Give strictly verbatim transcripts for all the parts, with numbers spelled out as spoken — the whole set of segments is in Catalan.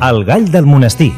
El gall del monestir.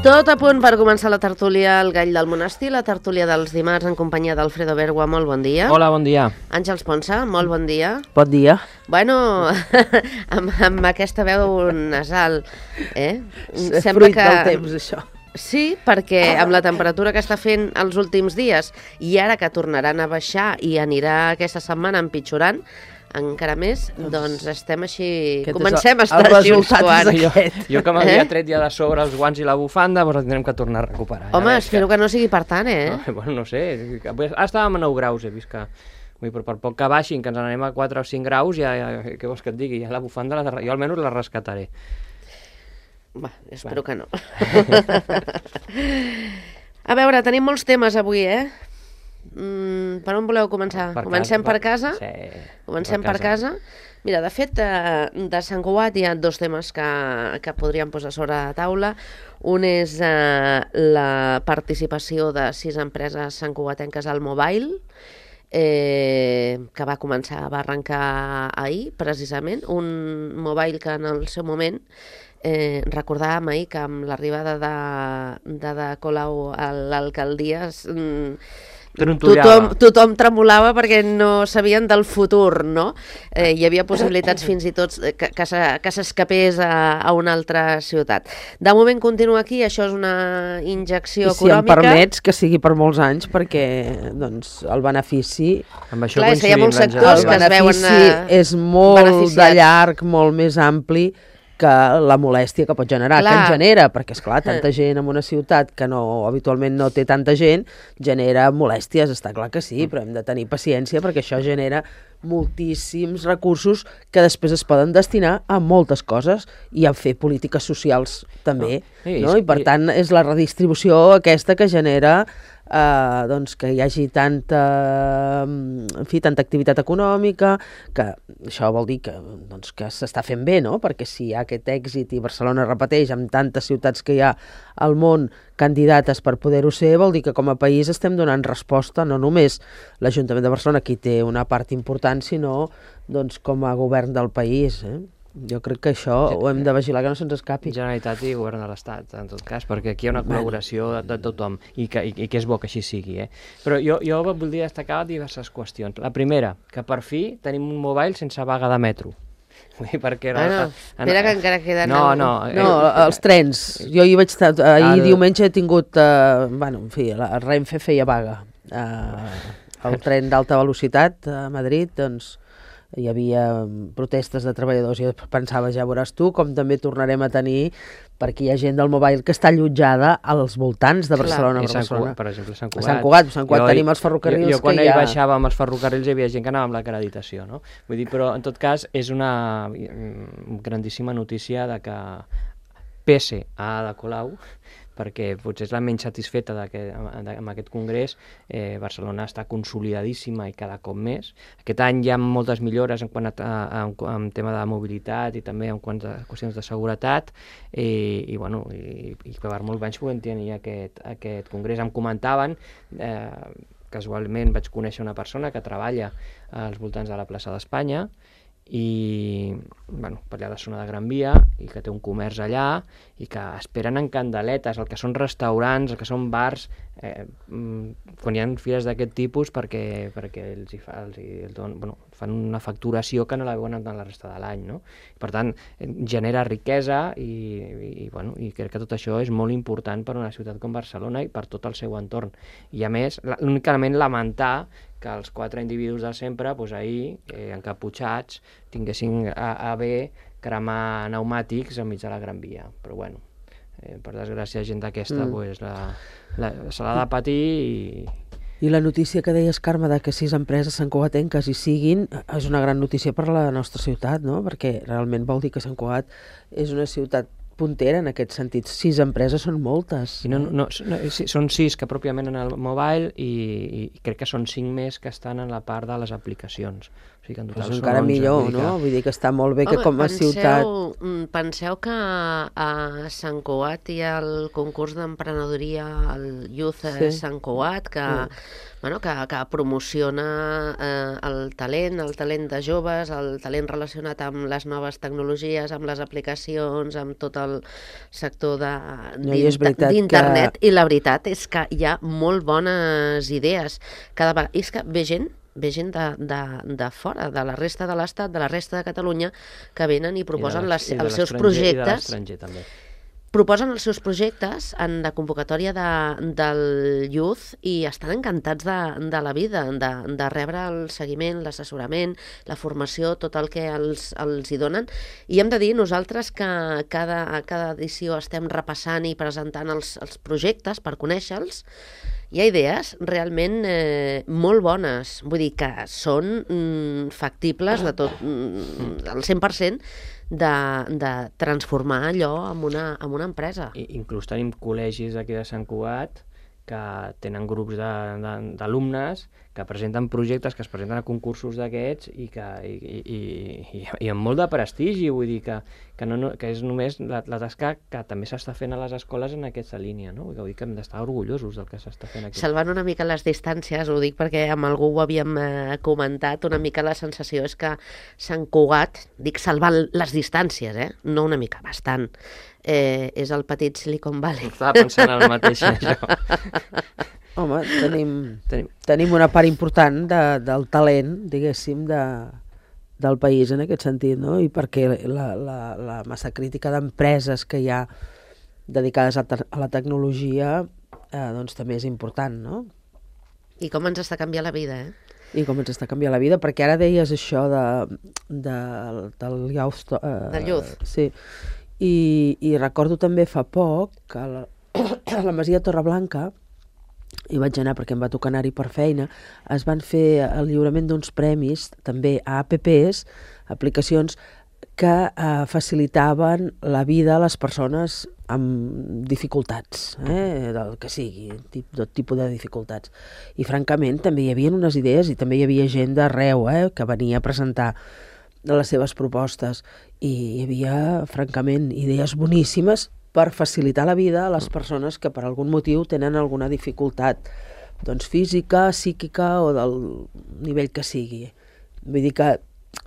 Tot a punt per començar la tertúlia El gall del monestir, la tertúlia dels dimarts en companyia d'Alfredo Bergua. Molt bon dia. Hola, bon dia. Àngels Ponsa, molt bon dia. Bon dia. Bueno, amb, amb aquesta veu nasal, eh? És fruit que... del temps, això. Sí, perquè amb la temperatura que està fent els últims dies i ara que tornaran a baixar i anirà aquesta setmana empitjorant, encara més, doncs estem així... Comencem a estar així uns quants. Jo, jo que m'havia eh? tret ja de sobre els guants i la bufanda, doncs tindrem que tornar a recuperar. Home, ja espero que... que no sigui per tant, eh? No, bueno, no sé. Ara estàvem a nou graus, he vist que... Vull, però per poc que baixin, que ens n'anem a quatre o cinc graus, ja, ja, què vols que et digui? Ja la bufanda, la, jo almenys la rescataré. Va, espero bueno. que no. A veure, tenim molts temes avui, eh? Mm, per on voleu començar? Per Comencem casa, per casa? Sí. Comencem per casa. per casa? Mira, de fet, de Sant Cugat hi ha dos temes que, que podríem posar sobre la taula. Un és eh, la participació de sis empreses santcugatenques al Mobile, eh, que va començar, va arrencar ahir, precisament. Un Mobile que en el seu moment eh, recordàvem ahir que amb l'arribada de, de, de Colau a l'alcaldia... Mm, Tothom, tothom tremolava perquè no sabien del futur, no? Eh, hi havia possibilitats fins i tot que, que, que s'escapés a, a una altra ciutat. De moment continua aquí, això és una injecció I si econòmica. Si em permets, que sigui per molts anys, perquè doncs, el benefici... Amb això Clar, és que hi ha molts sectors que es veuen... El benefici és molt de llarg, molt més ampli que la molèstia que pot generar, clar. que en genera, perquè, esclar, tanta gent en una ciutat que no habitualment no té tanta gent, genera molèsties, està clar que sí, però hem de tenir paciència perquè això genera moltíssims recursos que després es poden destinar a moltes coses i a fer polítiques socials també, no? Sí, no? I per tant és la redistribució aquesta que genera Uh, doncs que hi hagi tanta, en fi, tanta activitat econòmica, que això vol dir que, doncs, que s'està fent bé, no? Perquè si hi ha aquest èxit i Barcelona repeteix amb tantes ciutats que hi ha al món candidates per poder-ho ser, vol dir que com a país estem donant resposta, no només l'Ajuntament de Barcelona, qui té una part important, sinó doncs, com a govern del país, eh? Jo crec que això ho hem de vigilar que no se'ns escapi. Generalitat i govern de l'Estat, en tot cas, perquè aquí hi ha una col·laboració de, de tothom i que, i, i que és bo que així sigui. Eh? Però jo, jo voldria destacar diverses qüestions. La primera, que per fi tenim un mobile sense vaga de metro. Perquè ah, no. Espera que encara queden... No, no. No, eh, els trens. Jo hi vaig estar... Ahir el... diumenge he tingut... Eh, bueno, en fi, la Renfe feia vaga. Eh, el tren d'alta velocitat a Madrid, doncs... hi havia protestes de treballadors i pensava, ja veuràs tu, com també tornarem a tenir, perquè hi ha gent del Mobile que està allotjada als voltants de Barcelona. Per Barcelona. Per exemple, Sant Cugat. A Sant Cugat, Sant Cugat jo, tenim els ferrocarrils jo, jo, quan que hi ha... baixava amb els ferrocarrils hi havia gent que anava amb l'acreditació, no? Vull dir, però en tot cas és una grandíssima notícia de que pese a Ada Colau, perquè potser és la menys satisfeta amb aquest congrés, eh, Barcelona està consolidadíssima i cada cop més. Aquest any hi ha moltes millores en quant a, a, a, en tema de mobilitat i també en quant a qüestions de seguretat i, i, bueno, i, i per molt anys podem tenir aquest, aquest congrés. Em comentaven, eh, casualment vaig conèixer una persona que treballa als voltants de la plaça d'Espanya i bueno, per allà de zona de Gran Via i que té un comerç allà i que esperen en candeletes el que són restaurants, el que són bars eh, quan hi ha fires d'aquest tipus perquè, perquè els hi fa, els hi, els don, bueno, fan una facturació que no la veuen en la resta de l'any, no? Per tant, genera riquesa i, i, bueno, i crec que tot això és molt important per una ciutat com Barcelona i per tot el seu entorn. I a més, únicament lamentar que els quatre individus de sempre, doncs ahir, eh, encaputxats, tinguessin a, a bé cremar pneumàtics enmig de la Gran Via. Però bueno, eh, per desgràcia, gent d'aquesta mm. pues, la, la, se l'ha de patir i... I la notícia que deies, Carme, de que sis empreses santcugatenques hi siguin, és una gran notícia per la nostra ciutat, no? Perquè realment vol dir que Sant Cugat és una ciutat puntera en aquest sentit. Sis empreses són moltes. I no, no, no, són sis que pròpiament en el mobile i, i crec que són cinc més que estan en la part de les aplicacions. O sigui que en total pues són encara onze, millor, vull dir que... no? Vull dir que està molt bé que Home, com a penseu, ciutat... Penseu que a Sant Cugat hi ha el concurs d'emprenedoria, el Youth sí. Sant Cugat, que, mm. bueno, que, que promociona eh, el talent, el talent de joves, el talent relacionat amb les noves tecnologies, amb les aplicacions, amb tot el sector d'internet. Que... I la veritat és que hi ha molt bones idees. Cada vegada... És que ve gent ve gent de, de, de fora, de la resta de l'Estat, de la resta de Catalunya, que venen i proposen les, i els seus projectes. I de l'estranger també. Proposen els seus projectes en la convocatòria de, del Youth i estan encantats de, de la vida, de, de rebre el seguiment, l'assessorament, la formació, tot el que els, els hi donen. I hem de dir nosaltres que cada, a cada edició estem repassant i presentant els, els projectes per conèixer-los. Hi ha idees realment eh, molt bones, vull dir que són mm, factibles de tot, mm, al cent per cent de, de transformar allò en una, en una empresa. I, inclús tenim col·legis d'aquí de Sant Cugat que tenen grups d'alumnes que presenten projectes, que es presenten a concursos d'aquests i que i, i, i, i amb molt de prestigi, vull dir que, que, no, que és només la, la tasca que també s'està fent a les escoles en aquesta línia, no? Vull dir que hem d'estar orgullosos del que s'està fent aquí. Salvant una mica les distàncies, ho dic perquè amb algú ho havíem eh, comentat, una mica la sensació és que Sant Cugat, dic salvant les distàncies, eh? No una mica, bastant, eh, és el petit Silicon Valley. Estava pensant en el mateix, això. Home, tenim, tenim. tenim una part important de, del talent, diguéssim, de, del país en aquest sentit, no? I perquè la, la, la massa crítica d'empreses que hi ha dedicades a, a la tecnologia eh, doncs també és important, no? I com ens està canviant la vida, eh? I com ens està canviant la vida, perquè ara deies això de, de, del youth... Eh, del youth. Sí, i, i recordo també fa poc que a la, a la Masia Torreblanca, hi vaig anar perquè em va tocar anar-hi per feina, es van fer el lliurament d'uns premis també a apps, aplicacions que eh, facilitaven la vida a les persones amb dificultats, eh, del que sigui, tot tipus de dificultats. I francament també hi havia unes idees i també hi havia gent d'arreu eh, que venia a presentar les seves propostes i hi havia francament idees boníssimes per facilitar la vida a les persones que per algun motiu tenen alguna dificultat doncs física, psíquica o del nivell que sigui. Vull dir que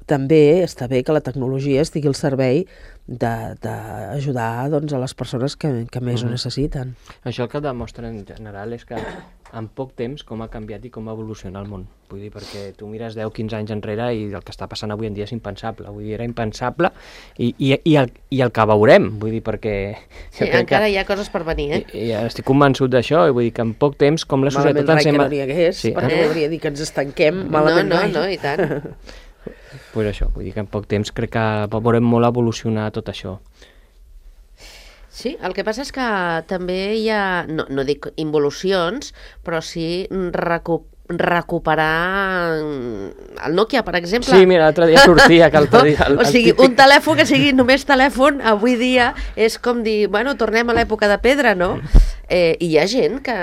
també està bé que la tecnologia estigui al servei d'ajudar doncs, a les persones que, que més mm-hmm. ho necessiten. Això el que demostra en general és que en poc temps com ha canviat i com ha evolucionat el món. Vull dir, perquè tu mires deu quinze anys enrere i el que està passant avui en dia és impensable. Vull dir, era impensable i, i, i, el, i el que veurem, vull dir, perquè... Sí, encara que, hi ha coses per venir, eh? I, i estic convençut d'això, vull dir que en poc temps com la societat... Malament rai que no n'hi hagués, sí, perquè eh? Voldria dir que ens estanquem malament no, no, rai. No, i tant. Pues això, vull dir que en poc temps crec que veurem molt evolucionar tot això. Sí, el que passa és que també hi ha, no, no dic involucions, però sí recu recuperar el Nokia, per exemple. Sí, mira, l'altre dia sortia que l'altre dia... El, o sigui, el típic... un telèfon que sigui només telèfon, avui dia és com dir, bueno, tornem a l'època de pedra, no? Eh, I hi ha gent que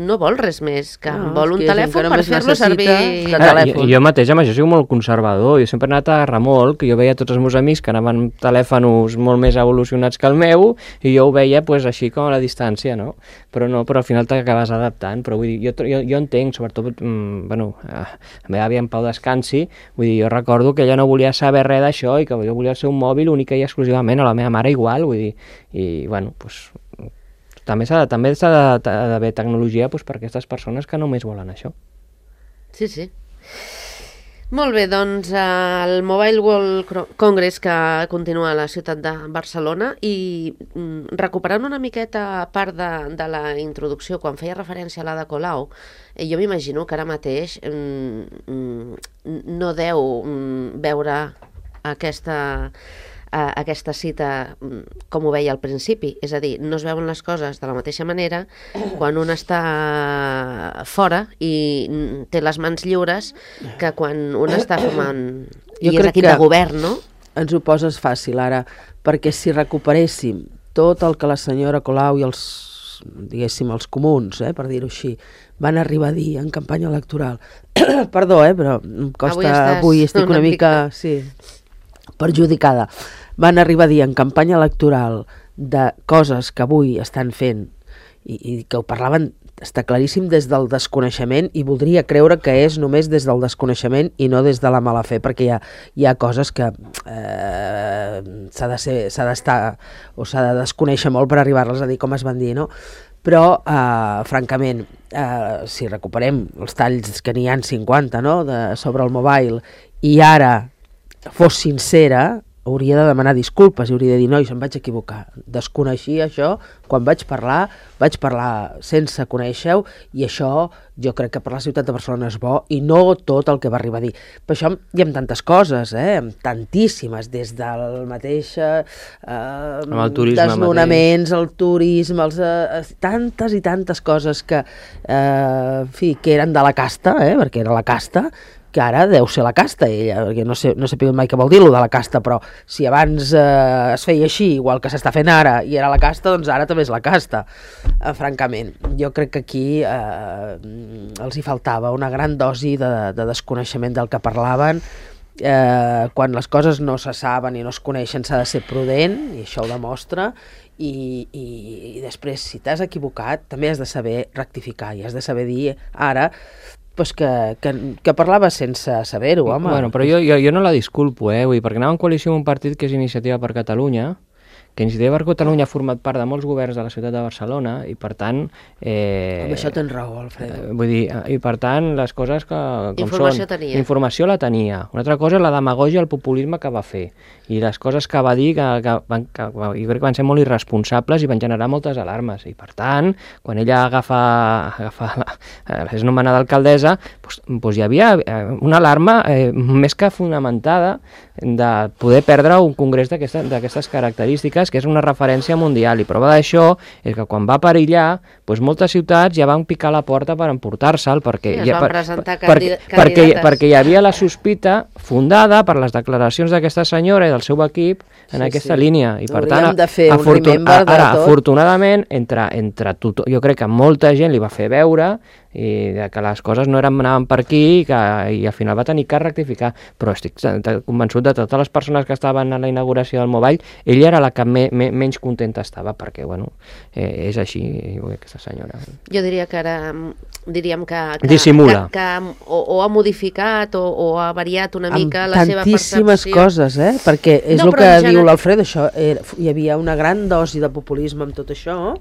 no vol res més, que no, vol un telèfon per fer-lo servir de telèfon. I jo mateix amb això soc molt conservador, jo sempre he anat a remolc, jo veia tots els meus amics que anaven amb telèfons molt més evolucionats que el meu, i jo ho veia pues, així com a la distància, no? Però no, però al final t'acabes adaptant, però vull dir, jo, jo, jo entenc, sobretot, mm, bueno, a la meva àvia en pau descansi, vull dir, jo recordo que ella no volia saber res d'això i que jo volia ser un mòbil única i exclusivament, a la meva mare igual, vull dir, i bueno, doncs... També s'ha també d'haver tecnologia doncs, per a aquestes persones que només volen això. Sí, sí. Molt bé, doncs el Mobile World Congress que continua a la ciutat de Barcelona i mm, recuperant una miqueta part de, de la introducció, quan feia referència a l'Ada Colau, eh, jo m'imagino que ara mateix mm, mm, no deu mm, veure aquesta... Uh, aquesta cita com ho veia al principi, és a dir, no es veuen les coses de la mateixa manera quan un està fora i té les mans lliures que quan un està formant i és equip de govern, no? Ens ho poses fàcil ara, perquè si recuperéssim tot el que la senyora Colau i els, diguéssim, els comuns, eh, per dir-ho així, van arribar a dir en campanya electoral, perdó, eh, però em costa, avui, estàs avui estic una, una mica, mica sí, perjudicada, van arribar a dir en campanya electoral de coses que avui estan fent i, i que ho parlaven, està claríssim, des del desconeixement, i voldria creure que és només des del desconeixement i no des de la mala fe, perquè hi ha, hi ha coses que eh, s'ha de ser, s'ha d'estar o s'ha de desconèixer molt per arribar-les a dir com es van dir, no? Però, eh, francament, eh, si recuperem els talls que n'hi ha cinquanta, no?, de, sobre el mobile, i ara fos sincera, hauria de demanar disculpes i hauria de dir, noi, em vaig equivocar, desconeixia això, quan vaig parlar, vaig parlar sense conèixer-ho, i això jo crec que per la ciutat de Barcelona és bo, i no tot el que va arribar a dir. Per això hi ha tantes coses, eh? Tantíssimes, des del mateix eh, el turisme desnonaments, el turisme, els, eh, tantes i tantes coses que, eh, en fi, que eren de la casta, eh? Perquè era la casta, que ara deu ser la casta ella, perquè no sé, no sé mai què vol dir-lo de la casta, però si abans eh, es feia així, igual que s'està fent ara, i era la casta, doncs ara també és la casta, eh, francament. Jo crec que aquí eh, els hi faltava una gran dosi de, de desconeixement del que parlaven. Eh, quan les coses no se saben i no es coneixen s'ha de ser prudent, i això ho demostra, i, i, i després, si t'has equivocat, també has de saber rectificar, i has de saber dir ara pues que, que, que parlava sense saber-ho, home. Bueno, però jo, jo, jo no la disculpo, eh? Vull dir, perquè anava en coalició amb un partit que és Iniciativa per Catalunya, que Iniciativa per Catalunya ha format part de molts governs de la ciutat de Barcelona, i per tant... Eh, amb això tens raó, Alfredo. Eh, vull dir, i per tant, les coses que com informació són... Tenia. Informació la tenia. Una altra cosa és la demagògia i el populisme que va fer, i les coses que va dir que, que, van, que jo crec que van ser molt irresponsables i van generar moltes alarmes, i per tant, quan ella agafa, agafa la, és nomenada alcaldessa, doncs, doncs hi havia una alarma eh, més que fonamentada de poder perdre un congrés d'aquestes característiques, que és una referència mundial, i prova d'això és que quan va perillar, doncs moltes ciutats ja van picar la porta per emportar-se'l, perquè, sí, ja, per, per, per, perquè, perquè hi havia la sospita fundada per les declaracions d'aquesta senyora i del seu equip en sí, aquesta sí. línia, i per Hauríem tant de fer afortun un remember de ara, tot. Afortunadament, entre, entre tothom, jo crec que molta gent li va fer veure i de que les coses no eren, anaven per aquí, i, que, i al final va tenir que rectificar, però estic convençut de totes les persones que estaven a la inauguració del Mobile, ella era la que me, me, menys contenta estava, perquè bueno, eh, és així aquesta senyora. Jo diria que ara diríem que, que, dissimula, que, que o, o ha modificat o, o ha variat una mica amb la seva percepció. Tantíssimes coses, eh? Perquè és no, el que gener... diu l'Alfredo, això, era, hi havia una gran dosi de populisme amb tot això,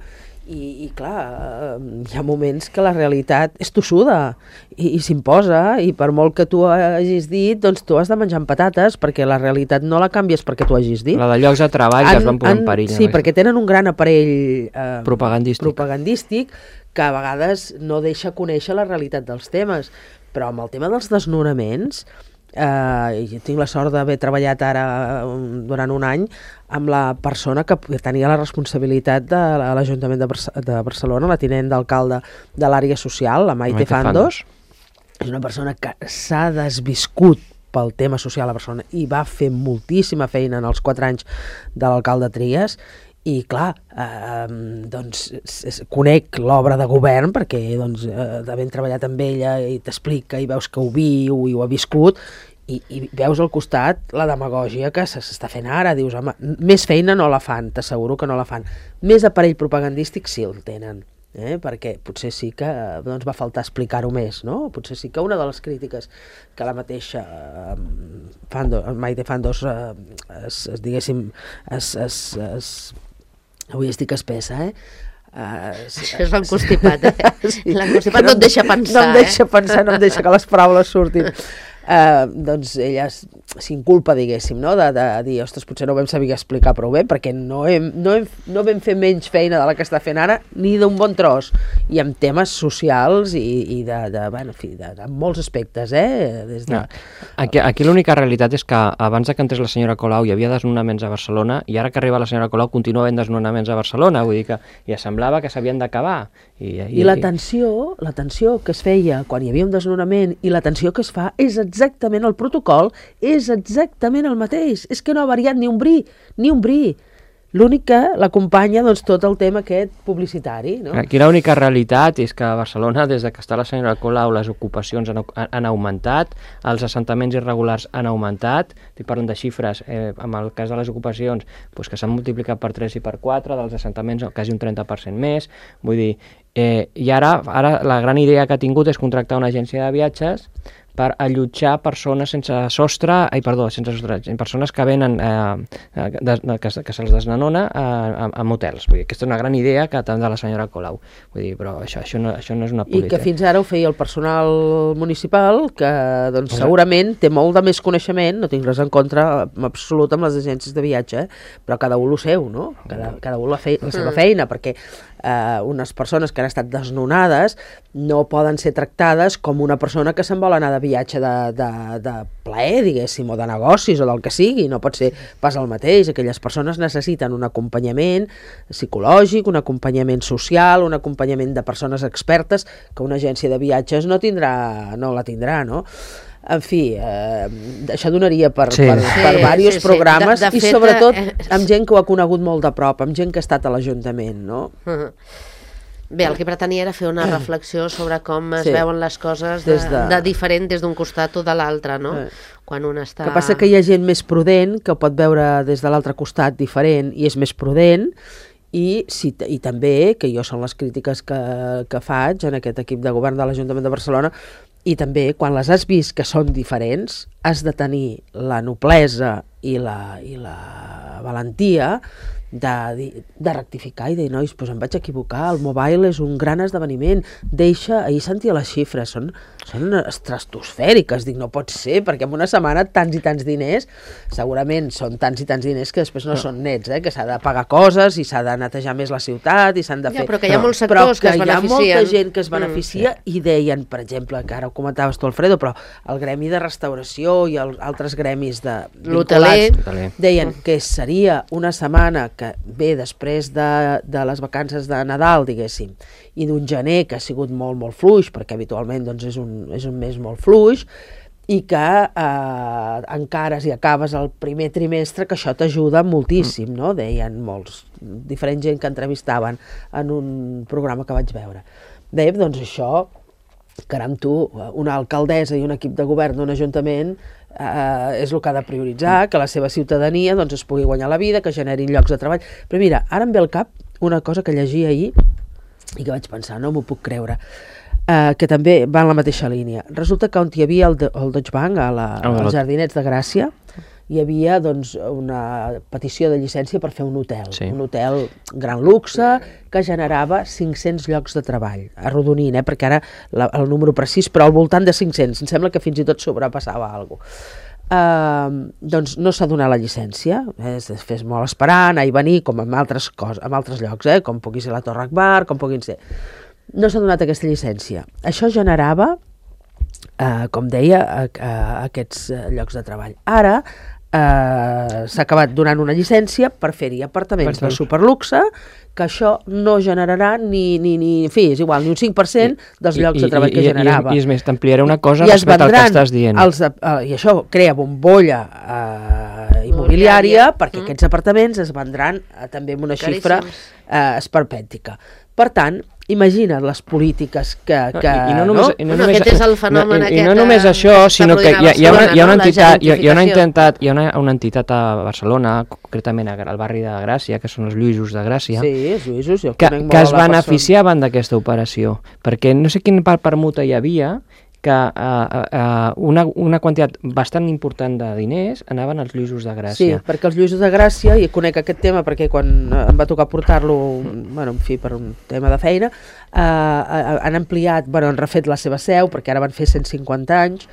i, i clar, hi ha moments que la realitat és tossuda i, i s'imposa, i per molt que tu hagis dit, doncs tu has de menjar amb patates, perquè la realitat no la canvies perquè tu hagis dit. La de llocs de treball han, que es van posar en perill. Sí, perquè tenen un gran aparell eh, propagandístic. propagandístic que a vegades no deixa conèixer la realitat dels temes, però amb el tema dels desnonaments, eh, jo tinc la sort d'haver treballat ara um, durant un any amb la persona que tenia la responsabilitat de l'Ajuntament de, Barce de Barcelona, la tinent d'alcalde de l'àrea social, la Maite, Maite Fandos. Fandos. És una persona que s'ha desviscut pel tema social a Barcelona i va fer moltíssima feina en els quatre anys de l'alcalde Trias, i clar, eh, doncs conec l'obra de govern perquè doncs, eh, havent treballat amb ella i t'explica i veus que ho viu i ho ha viscut, i, i veus al costat la demagògia que s'està fent ara. Dius, home, més feina no la fan, t'asseguro que no la fan. Més aparell propagandístic sí el tenen, eh? Perquè potser sí que doncs, va faltar explicar-ho més, no? Potser sí que una de les crítiques que la mateixa eh, Fandos, Maite Fandos eh, es, es, diguéssim es, es, es avui estic espessa, eh? Uh, Això és l'encostipat, eh? Sí. L'encostipat no et deixa pensar, no em deixa eh? pensar, no em deixa que les paraules surtin. Uh, doncs ella s'inculpa, diguéssim, no? de, de dir, ostres, potser no ho vam saber explicar prou bé, perquè no, hem, no, hem, no vam fer menys feina de la que està fent ara, ni d'un bon tros, i amb temes socials i, i de, de, bueno, en fi, de, de molts aspectes, eh? Des de... no. Aquí, aquí l'única realitat és que abans de que entrés la senyora Colau hi havia desnonaments a Barcelona, i ara que arriba la senyora Colau continua havent desnonaments a Barcelona, vull dir que ja semblava que s'havien d'acabar. I, i, I la tensió, la tensió que es feia quan hi havia un desnonament i la tensió que es fa és exactament el protocol, és exactament el mateix. És que no ha variat ni un bri, ni un bri. L'únic que l'acompanya doncs, tot el tema aquest publicitari. No? Aquí l'única realitat és que a Barcelona, des de que està la senyora Colau, les ocupacions han, han augmentat, els assentaments irregulars han augmentat, estic parlant de xifres, eh, amb el cas de les ocupacions, doncs que s'han multiplicat per tres i per quatre, dels assentaments quasi un trenta per cent més, vull dir, eh, i ara, ara la gran idea que ha tingut és contractar una agència de viatges per allotjar persones sense sostre, ai, perdó, sense sostre, persones que venen, eh, de, que, que se'ls desnanona a, a, a motels. Vull dir, aquesta és una gran idea que tant de la senyora Colau. Vull dir, però això, això, no, això no és una política. I que fins ara ho feia el personal municipal, que doncs, Exacte. segurament té molt de més coneixement, no tinc res en contra en absolut amb les agències de viatge, eh? Però cada un lo seu, no? Cada, cada un la, fe, la seva feina, perquè eh, unes persones que han estat desnonades no poden ser tractades com una persona que se'n vol anar de viatge de, de, de plaer, diguéssim, o de negocis, o del que sigui, no pot ser pas el mateix. Aquelles persones necessiten un acompanyament psicològic, un acompanyament social, un acompanyament de persones expertes que una agència de viatges no tindrà, no la tindrà, no? En fi, eh, això donaria per, sí. per, per sí, diversos sí, sí. programes de, de i fet, sobretot eh, amb gent que ho ha conegut molt de prop, amb gent que ha estat a l'Ajuntament, no? Uh-huh. Bé, el que pretenia era fer una reflexió sobre com es sí. veuen les coses de, de... de diferent des d'un costat o de l'altre, no? Eh. Quan un està... Que passa que hi ha gent més prudent que ho pot veure des de l'altre costat diferent i és més prudent, i, si, i també, que jo són les crítiques que, que faig en aquest equip de govern de l'Ajuntament de Barcelona, i també quan les has vist que són diferents has de tenir la noblesa i la, i la valentia de, de rectificar i dir, nois, doncs em vaig equivocar, el mobile és un gran esdeveniment, deixa, ahir sentia les xifres, són, són estratosfèriques, dic, no pot ser, perquè en una setmana tants i tants diners, segurament són tants i tants diners que després no, no. són nets, eh? Que s'ha de pagar coses i s'ha de netejar més la ciutat i s'han de fer... Ja, però que hi ha molts sectors que, que es beneficien. Però que hi ha molta gent que es beneficia mm, sí. i deien, per exemple, que ara ho comentaves tu, Alfredo, però el gremi de restauració i els altres gremis de l'hoteler deien que seria una setmana que ve després de, de les vacances de Nadal, diguéssim, i d'un gener que ha sigut molt, molt fluix, perquè habitualment doncs, és, un, és un mes molt fluix, i que eh, encara si acabes el primer trimestre, que això t'ajuda moltíssim, no? Deien molts, diferent gent que entrevistaven en un programa que vaig veure. Deia, doncs això, caram tu, una alcaldessa i un equip de govern d'un ajuntament Uh, és el que ha de prioritzar, que la seva ciutadania doncs, es pugui guanyar la vida, que generin llocs de treball. Però mira, ara em ve al cap una cosa que llegia ahir i que vaig pensar, no m'ho puc creure, uh, que també va en la mateixa línia. Resulta que on hi havia el, el Deutsche Bank, a la, oh, als Jardinets de Gràcia, hi havia doncs, una petició de llicència per fer un hotel, sí. un hotel gran luxe que generava cinc-cents llocs de treball, arrodonint, eh? Perquè ara la, el número precís, però al voltant de cinc-cents, em sembla que fins i tot sobrepassava alguna cosa. Uh, doncs no s'ha donat la llicència, eh? Es fes molt esperar, anar i venir, com en altres, cos, en altres llocs, eh? Com pugui ser la Torre Akbar, com puguin ser. No s'ha donat aquesta llicència. Això generava, uh, com deia, a, a, a aquests llocs de treball. Ara, Uh, s'ha acabat donant una llicència per fer-hi apartaments de superluxe, que això no generarà ni, ni, ni, en fi, és igual, ni un cinc per cent dels I, llocs i, de treball i, que generava. I, i és més, t'ampliaré una cosa I respecte al que estàs dient. Els, uh, I això crea bombolla uh, immobiliària, perquè mm. aquests apartaments es vendran uh, també amb una xifra uh, esperpèntica. Per tant, imagina't les polítiques que... que I, i no només, no? I no bueno, només, aquest és el fenomen no, aquest... I no només això, sinó que hi ha, hi ha, una, hi ha una entitat, hi ha, hi ha una entitat, hi ha una, una entitat a Barcelona, concretament al barri de Gràcia, que són els Lluïsos de Gràcia, sí, els Lluïsos, jo que, que es beneficiaven d'aquesta operació, perquè no sé quin permuta hi havia, que uh, uh, una, una quantitat bastant important de diners anaven als Lluïsos de Gràcia. Sí, perquè els Lluïsos de Gràcia, i conec aquest tema perquè quan em va tocar portar-lo, bueno, en fi, per un tema de feina, uh, han ampliat, bueno, han refet la seva seu, perquè ara van fer cent cinquanta anys,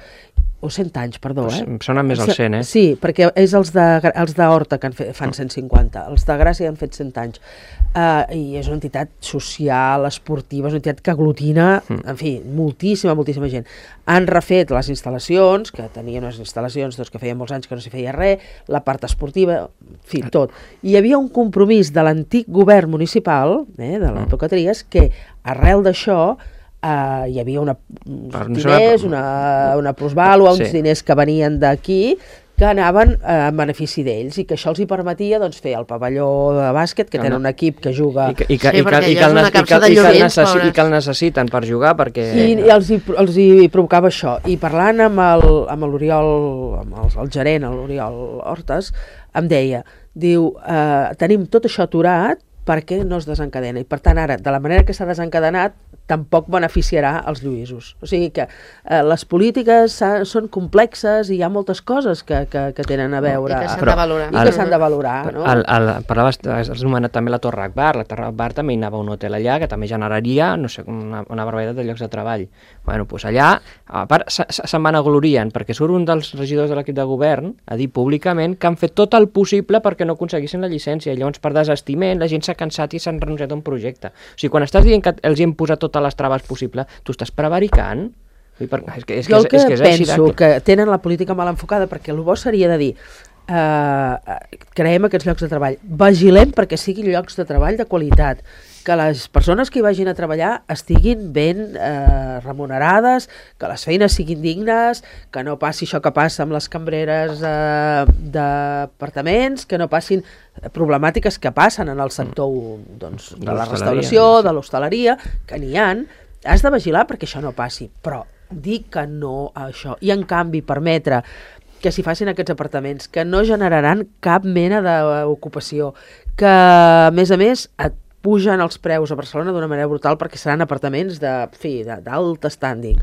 o cent anys, perdó, eh? Sona més al cent, eh? Sí, perquè és els de, els d'Horta que en fe, fan cent cinquanta, els de Gràcia han fet cent anys. Uh, I és una entitat social, esportiva, és una entitat que aglutina, mm. en fi, moltíssima, moltíssima gent. Han refet les instal·lacions, que tenien unes instal·lacions doncs, que feien molts anys que no s'hi feia res, la part esportiva, en fi, tot. I hi havia un compromís de l'antic govern municipal, eh, de l'època Trias, que arrel d'això Uh, hi havia una, uns diners, una, una plusvàlua, uns sí. diners que venien d'aquí, que anaven eh, en benefici d'ells i que això els hi permetia doncs, fer el pavelló de bàsquet, que tenen un equip que juga... I que, i que, Sí, i que, perquè i que, allò és el, una nes- i capsa que, de i que, el llumins, necessi- pobres. i que el necessiten per jugar perquè... I, i els, hi, els hi provocava això. I parlant amb el, amb l'Oriol, amb el, el gerent, l'Oriol Hortes, em deia, diu, eh, tenim tot això aturat perquè no es desencadena. I per tant ara, de la manera que s'ha desencadenat, tampoc beneficiarà els lluïsos. O sigui que eh, les polítiques són complexes i hi ha moltes coses que, que, que tenen a veure... I que s'han Però de valorar. I que s'han de valorar, no? El, el, parlaves, has anomenat també la Torre Akbar. La Torre Akbar també hi anava un hotel allà que també generaria, no sé, una, una barbaritat de llocs de treball. Bueno, doncs allà, a part, se- se- se'n van aglorien, perquè surt un dels regidors de l'equip de govern a dir públicament que han fet tot el possible perquè no aconseguissin la llicència. I llavors, per desestiment, la gent s'ha cansat i s'han renunciat a un projecte. O sigui, quan estàs dient que els hi hem posat totes les traves possibles, tu estàs prevaricant? Vull dir, per- És que, és Jo que, el que és, és que és així penso de... que tenen la política mal enfocada, perquè el bo seria de dir eh, creem aquests llocs de treball, vigilem perquè siguin llocs de treball de qualitat, que les persones que hi vagin a treballar estiguin ben eh, remunerades, que les feines siguin dignes, que no passi això que passa amb les cambreres eh, d'apartaments, que no passin problemàtiques que passen en el sector doncs, de, De la l'hostaleria, restauració, sí. de l'hostaleria, que n'hi han. Has de vigilar perquè això no passi, però dir que no a això i en canvi permetre que s'hi facin aquests apartaments que no generaran cap mena d'ocupació, que a més a més et pugen els preus a Barcelona d'una manera brutal perquè seran apartaments de, fi, de, d'alt standing.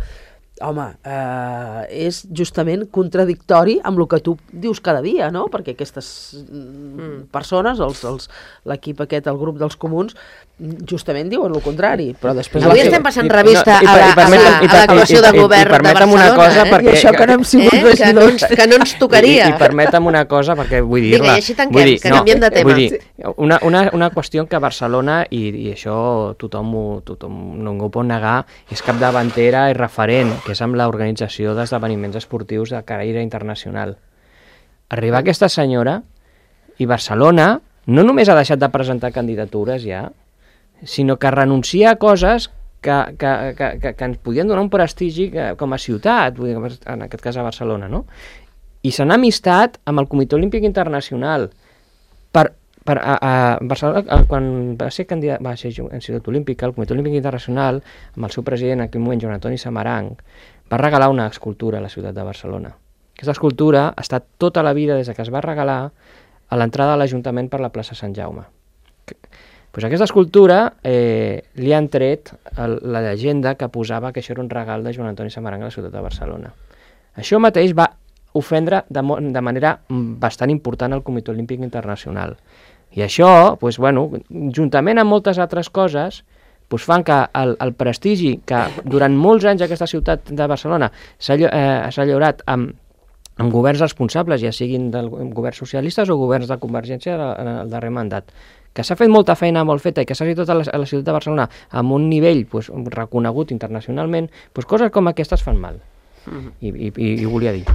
Home, eh, és justament contradictori amb el que tu dius cada dia, no? Perquè aquestes mm. persones, els, els, l'equip aquest, el grup dels comuns, justament diuen el contrari. Però després Avui la- estem passant I- revista no, i a per- la- i permetem- a la- i a l'actuació per- de i- i- govern i de permetem una Barcelona, cosa, eh? perquè- I això que no hem sigut Eh? Que, no regidors. ens, que no ens tocaria. I, i permetem una cosa, perquè vull dir-la... Vinga, i així tanquem, vull dir, que canviem de tema. Vull dir, una, una, una qüestió que Barcelona, i, i això tothom, ho, tothom no ho pot negar, és capdavantera i referent, que és amb l'organització d'esdeveniments esportius de caire internacional. Arribar aquesta senyora i Barcelona no només ha deixat de presentar candidatures ja, sinó que renuncia a coses que, que, que, que, que ens podien donar un prestigi que, com a ciutat, vull dir, en aquest cas a Barcelona, no? I se n'ha amistat amb el Comitè Olímpic Internacional. Per, per, a, a Barcelona, a, quan va ser candidat, va ser en Ciutat Olímpica, el Comitè Olímpic Internacional, amb el seu president en aquell moment, Joan Antoni Samaranch, va regalar una escultura a la ciutat de Barcelona. Aquesta escultura ha estat tota la vida, des que es va regalar, a l'entrada de l'Ajuntament per la plaça Sant Jaume. Pues aquesta escultura eh, li han tret el, la llegenda que posava que això era un regal de Joan Antoni Samaranch a la ciutat de Barcelona. Això mateix va ofendre de, de manera bastant important al Comitè Olímpic Internacional. I això, pues, bueno, juntament amb moltes altres coses, pues, fan que el, el prestigi que durant molts anys aquesta ciutat de Barcelona s'ha eh, llaurat amb, amb governs responsables, ja siguin del governs socialistes o governs de Convergència en el darrer mandat, que s'ha fet molta feina molt feta i que s'ha fet tota la, a la ciutat de Barcelona amb un nivell pues, reconegut internacionalment, pues, coses com aquestes fan mal. Mm-hmm. I, i, i, i volia dir.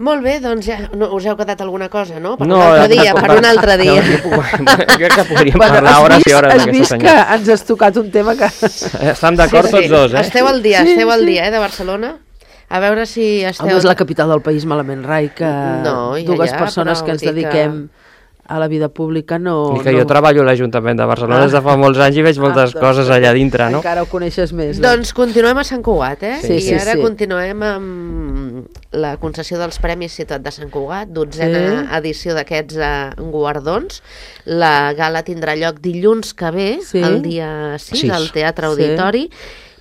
Molt bé, doncs ja no, us heu quedat alguna cosa, no? Per No, un altre dia, no, per un altre dia. No, crec que podríem Bueno, parlar has hores vist, i hores has d'aquesta vist que senyora. ens has tocat un tema que... Estem d'acord tots dos, eh? Esteu al dia, Sí, esteu al sí. dia, eh, de Barcelona. A veure si esteu... Home, és la capital del país, malament, Rai, que No, ja, dues ja, persones però que ens vull dir que- dediquem a la vida pública no... I que no... jo treballo a l'Ajuntament de Barcelona Ah. des de fa molts anys i veig moltes Ah, doncs, coses allà dintre, no? Encara ho coneixes més. Doncs continuem a Sant Cugat, eh? Sí, I sí, ara sí. continuem amb la concessió dels Premis Ciutat de Sant Cugat, dotzena Sí. edició d'aquests eh, guardons. La gala tindrà lloc dilluns que ve, Sí. el dia sis, Sis. al Teatre Sí. Auditori.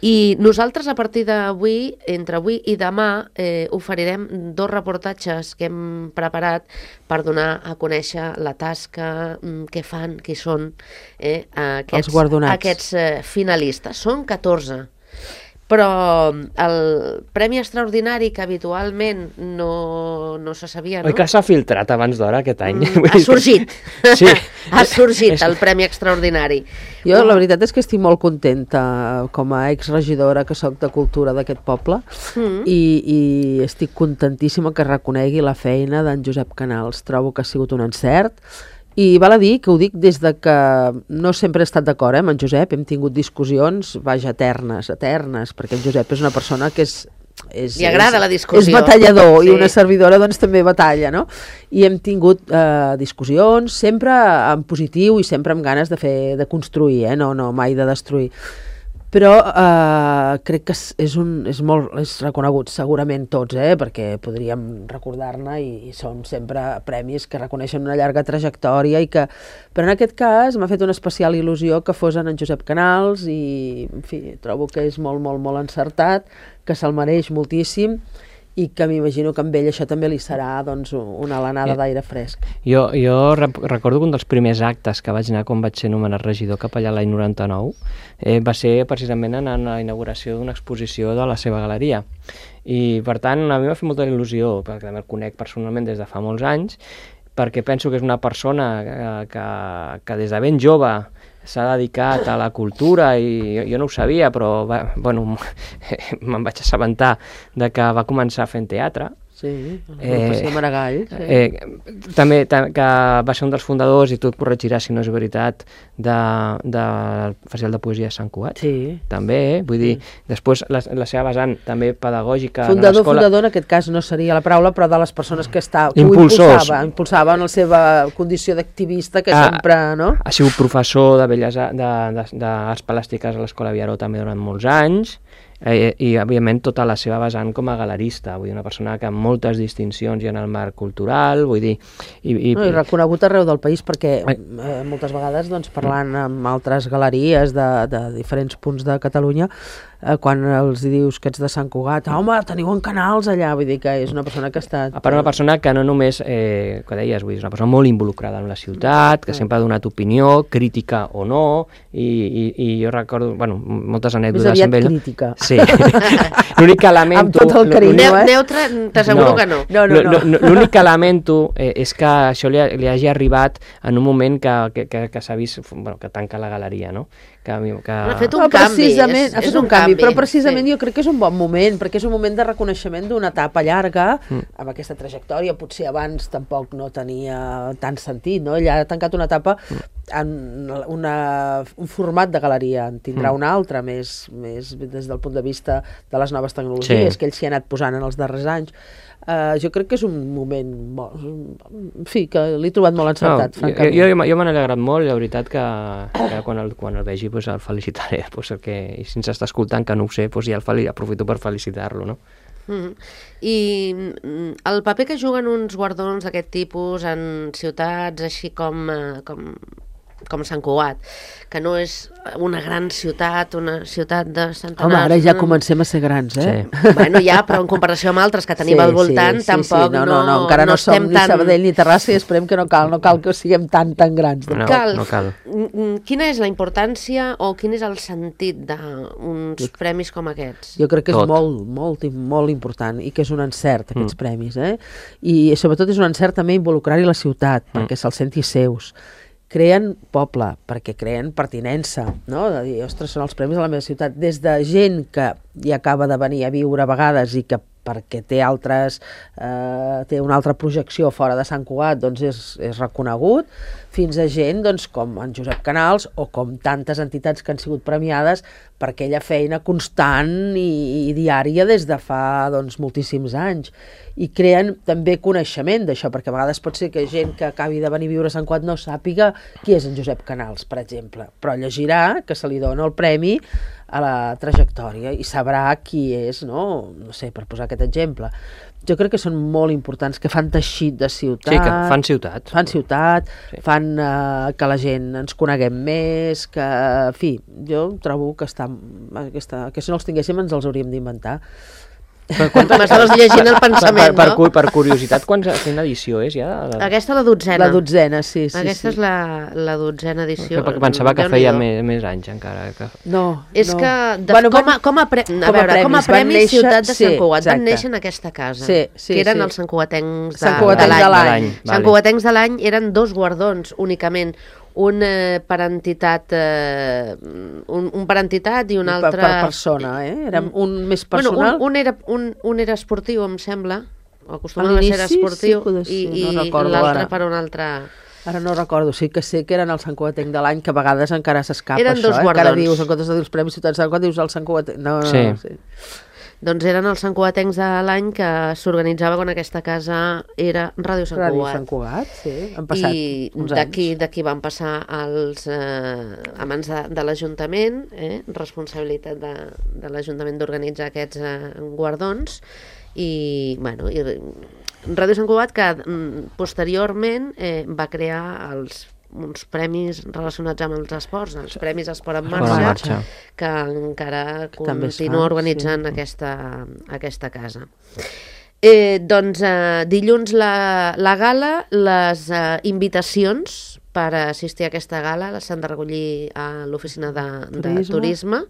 I nosaltres, a partir d'avui, entre avui i demà, eh, oferirem dos reportatges que hem preparat per donar a conèixer la tasca, mm, què fan, qui són eh, aquests, Els guardonats. aquests eh, finalistes. Són catorze. Però el premi extraordinari, que habitualment no, no se sabia, no? Oi que s'ha filtrat abans d'hora aquest any? Mm, ha sorgit. Sí. Ha sorgit el premi extraordinari. Jo la veritat és que estic molt contenta com a exregidora que sóc de cultura d'aquest poble Mm. i, i estic contentíssima que reconegui la feina d'en Josep Canals. Trobo que ha sigut un encert i val a dir que ho dic des de que no sempre he estat d'acord eh, amb en Josep, hem tingut discussions, vaja, eternes, eternes, perquè en Josep és una persona que és és, li agrada és, la discussió. És batallador, sí. I una servidora doncs també batalla, no? I hem tingut eh, discussions, sempre en positiu i sempre amb ganes de fer, de construir, eh? no, no mai de destruir. Però eh, crec que és, un, és molt és reconegut, segurament tots, eh? Perquè podríem recordar-ne i, i són sempre premis que reconeixen una llarga trajectòria i que, però en aquest cas m'ha fet una especial il·lusió que fos en Josep Canals i, en fi, trobo que és molt, molt, molt encertat, que se'l mereix moltíssim i que m'imagino que amb ell això també li serà doncs, una alenada d'aire fresc. Jo, jo recordo que un dels primers actes que vaig anar quan vaig ser nomenat regidor capellà l'any noranta-nou eh, va ser precisament en la inauguració d'una exposició de la seva galeria. I per tant a mi m'ha fet molta il·lusió, perquè també el conec personalment des de fa molts anys, perquè penso que és una persona que, que, que des de ben jove s'ha dedicat a la cultura i jo, jo no ho sabia, però va, bueno, me'n vaig assabentar de que va començar fent teatre. Sí, eh, Maragall. Sí. Eh, també ta, que va ser un dels fundadors, i tu et corregiràs si no és veritat, del de, de Festival de Poesia de Sant Cugat. Sí. També, eh? Vull dir, sí. Després la, la seva vessant també pedagògica fundador, a l'escola. Fundador, en aquest cas no seria la paraula, però de les persones que, està, que Impulsors. ho impulsava, impulsava en la seva condició d'activista, que ah, sempre, no? Ha sigut professor de Belles Arts, de, de, d'Arts Plàstiques a l'Escola Viaró també durant molts anys, eh, i òbviament tota la seva vessant com a galerista, vull dir, una persona que amb moltes distincions i en el marc cultural, vull dir... I, i, no, i reconegut arreu del país perquè eh, moltes vegades doncs, parlant amb altres galeries de, de diferents punts de Catalunya, eh, quan els dius que ets de Sant Cugat, home, teniu en Canals allà, vull dir que és una persona que ha estat... A part, una persona que no només, eh, que deies, vull dir, és una persona molt involucrada en la ciutat, que sempre ha donat opinió, crítica o no, i, i, i jo recordo, bueno, moltes anècdotes amb ell. Més aviat crítica. Sí. L'únic que lamento... Amb tot el carinyo, eh? Neutre, t'asseguro no. que no. No, no, no. L'únic que lamento eh, és que això li, li hagi arribat en un moment que, que, que, que s'ha vist, bueno, que tanca la galeria, no? Que, que... Ha fet un no, canvi. És, ha fet és un, un canvi, canvi, però precisament sí. Jo crec que és un bon moment, perquè és un moment de reconeixement d'una etapa llarga, mm. amb aquesta trajectòria, potser abans tampoc no tenia tant sentit, no? Ell ha tancat una etapa mm. en una, un format de galeria, en tindrà mm. un altre, més, més des del punt de vista de les noves tecnologies, sí. que ell s'hi ha anat posant en els darrers anys. Uh, jo crec que és un moment molt, en fi, que l'he trobat molt encertat, no, francament. Jo, jo, jo m'han alegrat molt, la veritat que, que quan, el, quan el vegi pues, el felicitaré, pues, el que, i si ens està escoltant que no ho sé, pues, ja el fel, aprofito per felicitar-lo, no? Mm-hmm. I el paper que juguen uns guardons d'aquest tipus en ciutats així com, com, com Sant Cugat, que no és una gran ciutat, una ciutat de centenars... Home, ara ja comencem a ser grans, eh? Sí. Bueno, ja, però en comparació amb altres que tenim sí, al voltant, sí, sí, tampoc sí. No, no, no, encara no, no som ni tan... Sabadell ni Terrassa i esperem que no cal, no cal que siguem tan, tan grans. No, cal. no cal. Quina és la importància o quin és el sentit d'uns premis com aquests? Jo crec que és Tot. molt, molt, molt important i que és un encert, aquests mm. premis, eh? I sobretot és un encert també involucrar-hi la ciutat, mm. perquè se'ls senti seus. Creen poble, perquè creen pertinença, no? De dir, ostres, són els premis de la meva ciutat. Des de gent que hi acaba de venir a viure a vegades i que perquè té altres eh, té una altra projecció fora de Sant Cugat, doncs és, és reconegut, fins a gent doncs, com en Josep Canals o com tantes entitats que han sigut premiades per aquella feina constant i, i diària des de fa doncs, moltíssims anys. I creen també coneixement d'això, perquè a vegades pot ser que gent que acabi de venir a viure a Sant Cugat no sàpiga qui és en Josep Canals, per exemple, però llegirà que se li dona el premi a la trajectòria i sabrà qui és, no? No sé, per posar aquest exemple. Jo crec que són molt importants, que fan teixit de ciutat. Sí, que fan ciutat. Fan ciutat, sí. fan uh, que la gent ens coneguem més, que, en fi, jo trobo que, està, aquesta, que si no els tinguéssim ens els hauríem d'inventar. Per quan m'estaves llegint el pensament, per, per, no? Per, per curiositat, quina edició és ja? La... Aquesta la dotzena. La dotzena, sí. sí Aquesta sí. és la, la dotzena edició. Perquè pensava que feia més, més anys encara. Que... No, És no. que, de, bueno, com, a, com, a pre... a com a veure, premis, com a Premi néixer... Ciutat de sí, Sant Cugat, exacte. van néixer en aquesta casa, sí, sí, que eren sí. els santcugatencs de, Sant Cugatencs de de l'any. l'any. Sant Cugatencs de l'any eren dos guardons únicament, un eh, per entitat eh, un, un per entitat i un altre per, per persona, eh? Era un més personal. Bueno, un, un, era, un, un era esportiu, em sembla, o acostumava a ser esportiu, sí, i, no i l'altre per un altre... Ara no recordo, sí que sé que eren el Sant Cugatenc de l'any, que a vegades encara s'escapa eren això, dos eh? guardons. Encara dius, en comptes de dir els Premis Ciutat de Sant Cugat, dius el Sant Cugatenc. No, no, sí. no, sí. Doncs eren els santcugatencs de l'any que s'organitzava quan aquesta casa era Ràdio Sant Ràdio Cugat. Sant Cugat, sí, han passat I uns d'aquí anys. d'aquí van passar els, eh, a mans de, de l'Ajuntament, eh, responsabilitat de, de l'Ajuntament d'organitzar aquests eh, guardons, i, bueno, i Ràdio Sant Cugat, que mm, posteriorment eh, va crear els uns premis relacionats amb els esports, els Premis Esport en Esport en Marxa, Marxa. que encara Que també es continua fan, organitzant sí. aquesta, aquesta casa. Eh, doncs eh, dilluns la, la gala, les eh, invitacions per assistir a aquesta gala s'han de recollir a l'oficina de turisme, de turisme.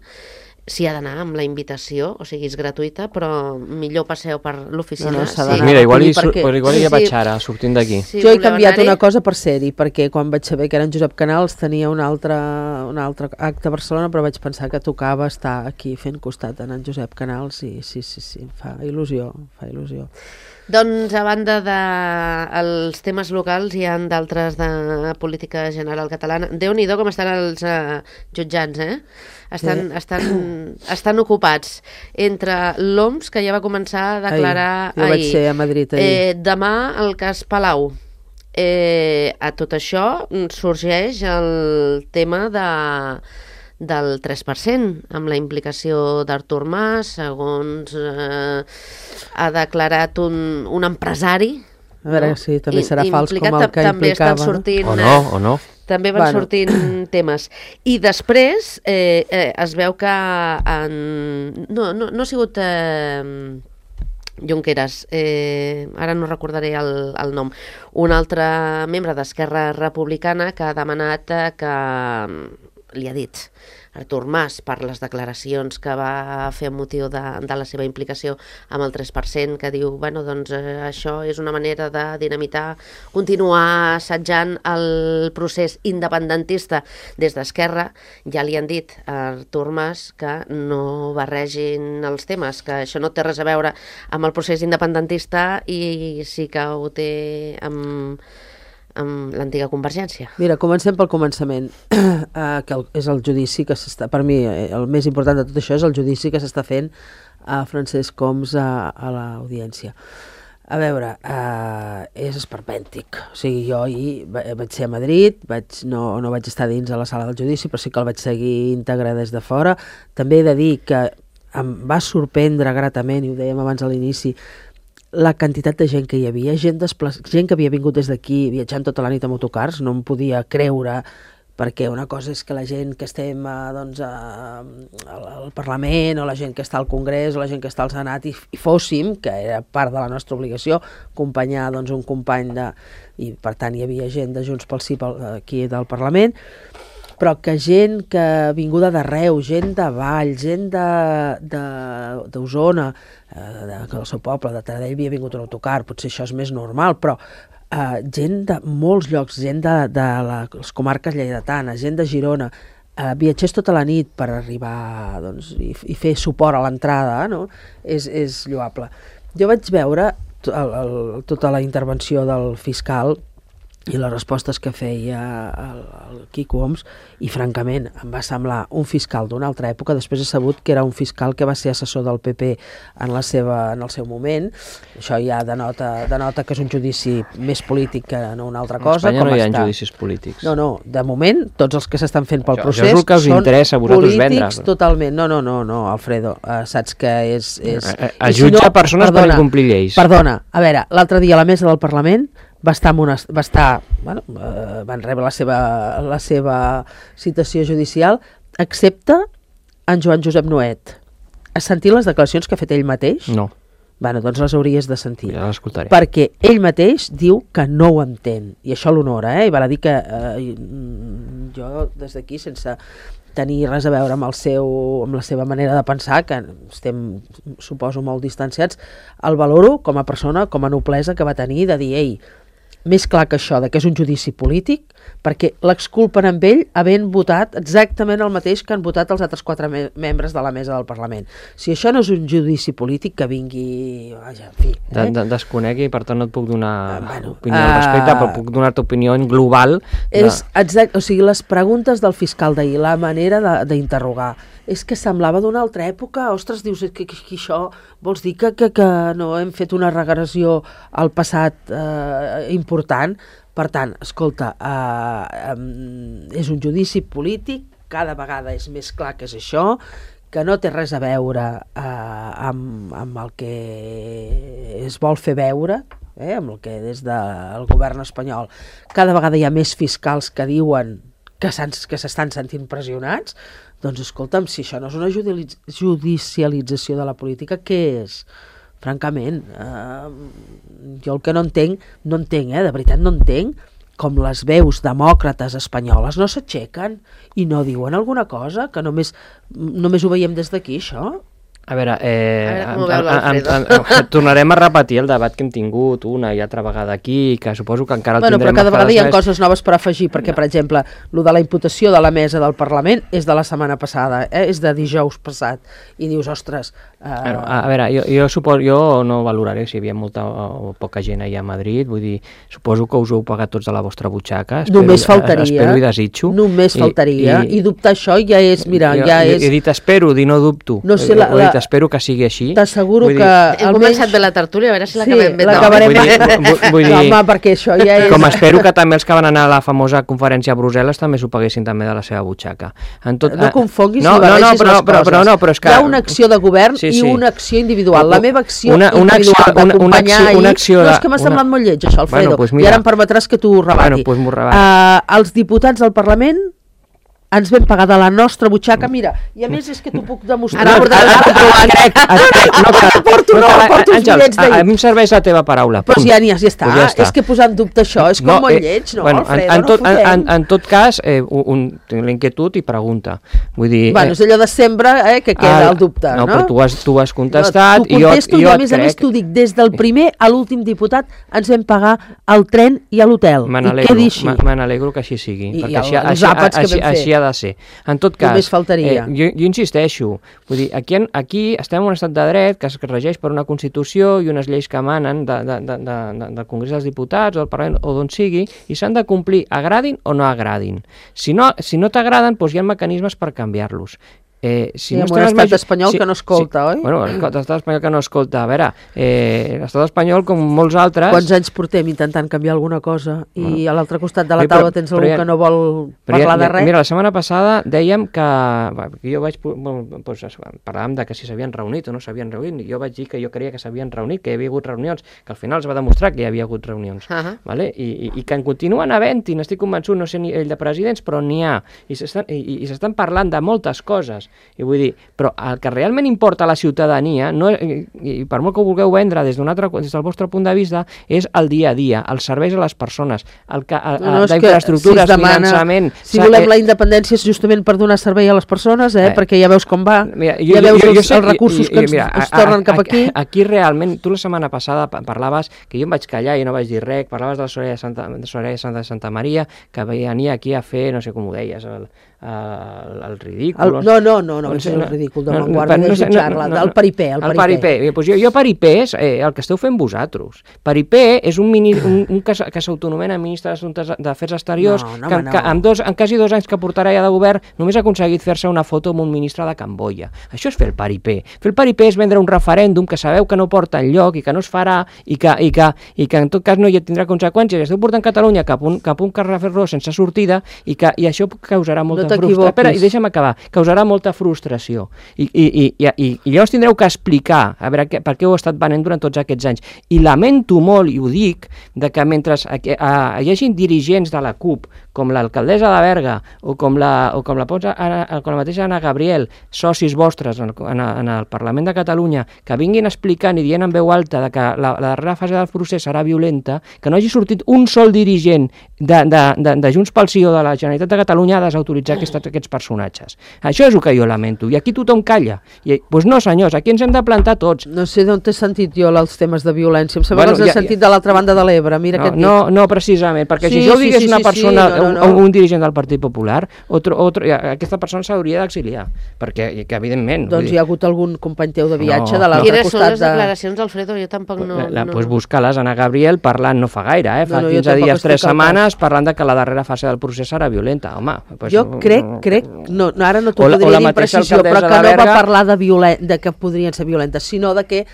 S'hi ha d'anar amb la invitació, o sigui, és gratuïta, però millor passeu per l'oficina. No, no, s'ha sí. d'anar. Mira, igual hi, Perquè- sur- igual hi Sí, vaig sí. ara, sortint d'aquí. Si Jo he voleu canviat anar-hi, una cosa per ser-hi, perquè quan vaig saber que era en Josep Canals tenia un altre, un altre acte a Barcelona, però vaig pensar que tocava estar aquí fent costat en en Josep Canals, i sí, sí, sí, fa il·lusió, fa il·lusió. Doncs, a banda dels temes locals, hi ha d'altres de política general catalana. Déu-n'hi-do com estan els eh, jutjats, eh? Estan, Sí. estan, estan ocupats entre l'O M S, que ja va començar a declarar Ahir. Jo vaig ser a Madrid ahir. Eh, demà el cas Palau. Eh, a tot això sorgeix el tema de del tres per cent, amb la implicació d'Artur Mas, segons eh, ha declarat un, un empresari. A veure, no? sí, també I- serà fals com implicat, el que també estan implicava, no? sortint, O no, o no. també van Bueno. sortint temes. I després eh, eh, es veu que en... no, no, no ha sigut eh, Junqueras, eh, ara no recordaré el, el nom, un altre membre d'Esquerra Republicana que ha demanat eh, que li ha dit Artur Mas per les declaracions que va fer amb motiu de, de la seva implicació amb el tres per cent, que diu, bueno, doncs eh, això és una manera de dinamitar, continuar assetjant el procés independentista des d'Esquerra. Ja li han dit a Artur Mas que no barregin els temes, que això no té res a veure amb el procés independentista i sí que ho té amb, amb l'antiga Convergència. Mira, comencem pel començament, uh, que el, és el judici que s'està, per mi, eh, el més important de tot això és el judici que s'està fent a Francesc Homs a, a l'audiència. A veure, uh, és esperpèntic. O sigui, jo ahir va- vaig ser a Madrid, vaig, no, no vaig estar dins a la sala del judici, però sí que el vaig seguir íntegre des de fora. També he de dir que em va sorprendre gratament, i ho dèiem abans a l'inici, la quantitat de gent que hi havia, gent, desplaç... gent que havia vingut des d'aquí viatjant tota la nit amb autocars, no em podia creure, perquè una cosa és que la gent que estem a, doncs, a, al Parlament, o la gent que està al Congrés, o la gent que està al Senat, i, i fóssim, que era part de la nostra obligació, acompanyar doncs, un company de... i per tant hi havia gent de Junts pel Sí pel, aquí del Parlament, però que gent que vinguda d'arreu, gent de Vall, gent d'Osona, eh, de, del seu poble, de Taradell havia vingut un autocar, potser això és més normal, però eh, gent de molts llocs, gent de, de la, les comarques lleidatanes, gent de Girona, eh, viatgers tota la nit per arribar doncs, i, i fer suport a l'entrada, no? és, és lloable. Jo vaig veure el, el, tota la intervenció del fiscal i les respostes que feia el, el Quico Homs, i francament em va semblar un fiscal d'una altra època. Després he sabut que era un fiscal que va ser assessor del P P en, la seva, en el seu moment. Això ja denota, denota que és un judici més polític que no una altra cosa. A Espanya com no hi ha està. judicis polítics. No, no, de moment tots els que s'estan fent pel Això- procés això és el que us són interessa a vosaltres polítics vendre. totalment. No, no, no, no, Alfredo, uh, saps que és... és... A- a- a I si jutjar persones per incomplir lleis. Perdona, a veure, l'altre dia a la mesa del Parlament va estar, amb una, va estar bueno, eh, van rebre la seva, la seva citació judicial, excepte en Joan Josep Nuet. Has sentit les declaracions que ha fet ell mateix? No, Bueno, doncs les hauries de sentir. ja l'escoltaré. Perquè ell mateix diu que no ho entén, i això l'honora, eh? I val a dir que eh, jo des d'aquí, sense tenir res a veure amb, el seu, amb la seva manera de pensar, que estem, suposo, molt distanciats, el valoro com a persona, com a noblesa que va tenir de dir, ei, més clar que això, de que és un judici polític, perquè l'exculpen amb ell havent votat exactament el mateix que han votat els altres quatre me membres de la mesa del Parlament. Si això no és un judici polític, que vingui... Vaja, en fi, De, eh? de, desconec i per tant no et puc donar Ah, bueno, opinió al respecte, ah, però puc donar-te opinió en global. De... És exacte, o sigui, les preguntes del fiscal d'ahir, la manera de- d'interrogar, és que semblava d'una altra època. Ostres, dius, que, que, que això vols dir que, que, que no hem fet una regressió al passat eh, important? Per tant, escolta, eh, eh, és un judici polític, cada vegada és més clar que és això, que no té res a veure eh, amb, amb el que es vol fer veure, eh, amb el que des del govern espanyol cada vegada hi ha més fiscals que diuen que s'estan sentint pressionats. Doncs escolta'm, si això no és una judicialització de la política, què és? Francament, eh, jo el que no entenc, no entenc, eh, de veritat no entenc, com les veus demòcrates espanyoles no s'aixequen i no diuen alguna cosa, que només, només ho veiem des d'aquí, això. A veure, eh, a veure en, en, en, en, tornarem a repetir el debat que hem tingut una i altra vegada aquí, que suposo que encara el bueno, tindrem però cada a vegada hi ha més... coses noves per afegir, perquè, no. per exemple, el de la imputació de la mesa del Parlament és de la setmana passada, eh? És de dijous passat, i dius, ostres... Eh... Bueno, a, a veure, jo, jo, suposo, jo no valoraré si hi havia molta o poca gent allà a Madrid, vull dir, suposo que us ho heu pagat tots de la vostra butxaca, espero, només faltaria, espero i desitjo. Només faltaria, i, i, i dubtar això ja és, mira, jo, ja jo, és... He dit espero, dir no dubto, no sé, la, he dit espero que sigui així. T'asseguro que... Hem començat bé la tertúlia, a veure si l'acabem bé. Sí, l'acabarem bé. Vull, vull dir, no, home, perquè això ja és... Com espero que també els que van anar a la famosa conferència a Brussel·les també s'ho paguessin també de la seva butxaca. En tot, no confonguis no, ni barregis no, no, però, les coses. Però, però, no, però és que... Hi ha una acció de govern sí, sí. i una acció individual. La meva acció una, una individual d'acompanyar ahir... Una acció de, no, és que m'ha una... semblat molt lleig, això, Alfredo. Bueno, pues I ara em permetràs que t'ho rebati. Bueno, pues m'ho rebati. Uh, els diputats del Parlament ens vam pagar de la nostra butxaca, mira, i a més és que t'ho puc demostrar. Ara portaràs a comprovar. Crec, crec, no cal. Porto, no, porto uns bitllets d'ahir. A mi em serveix la teva paraula. Doncs ja n'hi ha, ja està. Pues ja està. És que posar en dubte això és com no, molt eh, lleig, no, bueno, Alfredo, en, en, tot, no en, fotem. en, en tot cas, eh, un, tinc l'inquietud i pregunta. Vull dir... Bueno, és allò de sempre eh, que queda el dubte, no? No, però tu has, tu has contestat no, i jo, contesto, i jo i a més crec... a més t'ho dic, des del primer a l'últim diputat ens vam pagar el tren i a l'hotel. Me I quedi així. Me n'alegro que així sigui, I, perquè i el, així, així, així, així ha de ser. En tot cas, només faltaria. Eh, jo, jo insisteixo, vull dir, aquí, aquí estem en un estat de dret que es regeix per una Constitució i unes lleis que emanen de, de, de, de, de, del Congrés dels Diputats o del Parlament o d'on sigui, i s'han de complir, agradin o no agradin. Si no, si no t'agraden, doncs hi ha mecanismes per canviar-los. Eh, si sí, no amb un estat major... espanyol sí, que no escolta, sí. oi? Bueno, l'estat espanyol que no escolta. A veure, eh, l'estat espanyol, com molts altres... Quants anys portem intentant canviar alguna cosa i bueno. a l'altre costat de la sí, taula però, tens algú ja, que no vol parlar ja, de res? Mira, la setmana passada dèiem que... Jo vaig... Doncs, parlàvem de que si s'havien reunit o no s'havien reunit, i jo vaig dir que jo creia que s'havien reunit, que hi havia hagut reunions, que al final es va demostrar que hi havia hagut reunions. Uh -huh. Vale? I, i, I que en continuen havent-hi, n'estic convençut, no sé ni el de presidents, però n'hi ha. I s'estan i, i s'estan parlant de moltes coses. I vull dir, però el que realment importa a la ciutadania, no, i, i per molt que ho vulgueu vendre des d'un altre, des del vostre punt de vista, és el dia a dia, els serveis a les persones, el que, a, no, no, d'infraestructures, si demana, finançament... Si volem eh, la independència és justament per donar servei a les persones, eh, eh, perquè ja veus com va, mira, jo, ja veus jo, jo, els, jo sé, els recursos jo, jo, que ens, mira, ens tornen a, cap aquí. Aquí realment, tu la setmana passada parlaves, que jo em vaig callar i no vaig dir res, parlaves de la Soraya de Santa, de Soraya de Santa, de Santa Maria, que venia aquí a fer, no sé com ho deies, el, el, el ridícul... El, no, no, no, no, no és el ridícul de no, Vanguardia, no, no, de jutjar-la, no, no, del paripé, el paripé. El paripé, pues jo, jo paripé és eh, el que esteu fent vosaltres. Paripé és un, mini, un, un que, que s'autonomena ministre d'Assumptes d'Afers Exteriors, no, no, que, no. que amb, dos, en quasi dos anys que portarà ja de govern només ha aconseguit fer-se una foto amb un ministre de Camboya. Això és fer el paripé. Fer el paripé és vendre un referèndum que sabeu que no porta enlloc i que no es farà i que, i que, i que en tot cas no hi tindrà conseqüències. Esteu portant Catalunya cap un, cap un carrer sense sortida i, que, i això causarà molta no frustració. Espera, i deixa'm acabar. Causarà molta frustració. I, i, i, i, i, i llavors tindreu que explicar a veure que, per què ho he estat venent durant tots aquests anys. I lamento molt, i ho dic, de que mentre a, a, hi hagi dirigents de la CUP, com l'alcaldessa de Berga o com la, o com la, com la mateixa Anna Gabriel, socis vostres en, en, en el Parlament de Catalunya, que vinguin explicant i dient en veu alta de que la, la darrera fase del procés serà violenta, que no hagi sortit un sol dirigent de, de, de, de Junts pel Sí o de la Generalitat de Catalunya a desautoritzar aquests, aquests personatges. Això és el que jo lamento. I aquí tothom calla. I, doncs no, senyors, aquí ens hem de plantar tots. No sé d'on t'he sentit jo els temes de violència. Em sembla bueno, que els he ja, sentit de l'altra banda de l'Ebre. Mira no, què et dic. No, no, precisament, perquè sí, si jo ho digués sí, sí, una sí, persona, sí, no, no, no. Un, un dirigent del Partit Popular, otro, otro, aquesta persona s'hauria d'exiliar, perquè, que, evidentment... Doncs hi ha hagut algun company teu de viatge no, de l'altre costat de... Quines són les de... declaracions, Alfredo? Jo tampoc no... La, la, no... Pues busca-les, Anna Gabriel, parlant no fa gaire, eh? fa no, no, quinze dies, tres setmanes, parlant de que la darrera fase del procés serà violenta. Home, pues, jo crec, crec, no, ara no t'ho podria dir... O la la mateixa imprecisió, però alcaldessa que de no va Berga... parlar de, violen de que podrien ser violentes, sinó de que